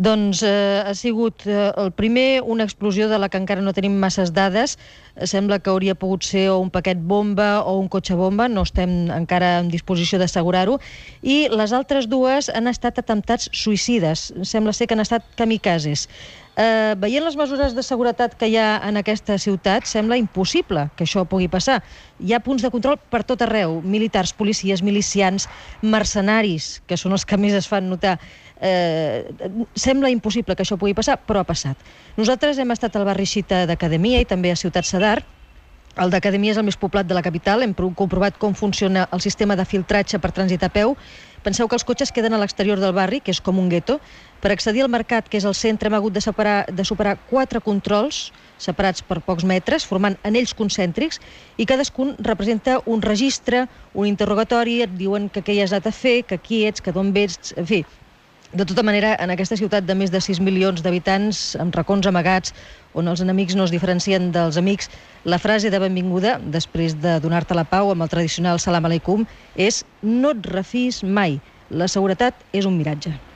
Doncs ha sigut el primer una explosió de la que encara no tenim masses dades. Sembla que hauria pogut ser o un paquet bomba o un cotxe bomba, no estem encara en disposició d'assegurar-ho. I les altres dues han estat atemptats suïcides, sembla ser que han estat kamikazes. Veient les mesures de seguretat que hi ha en aquesta ciutat, sembla impossible que això pugui passar. Hi ha punts de control per tot arreu, militars, policies, milicians, mercenaris, que són els que més es fan notar. Sembla impossible que això pugui passar, però ha passat. Nosaltres hem estat al barri xiita d'Acadèmia i també a Ciutat Sadar. El d'Acadèmia és el més poblat de la capital. Hem comprovat com funciona el sistema de filtratge per trànsit a peu. Penseu que els cotxes queden a l'exterior del barri, que és com un gueto. Per accedir al mercat, que és el centre, hem hagut de superar 4 controls separats per pocs metres, formant anells concèntrics, i cadascun representa un registre, un interrogatori, et diuen que què hi has anat a fer, que qui ets, que d'on vens, en fi. De tota manera, en aquesta ciutat de més de 6 milions d'habitants, amb racons amagats, on els enemics no es diferencien dels amics, la frase de benvinguda, després de donar-te la pau amb el tradicional salam aleikum, és no et refis mai. La seguretat és un miratge.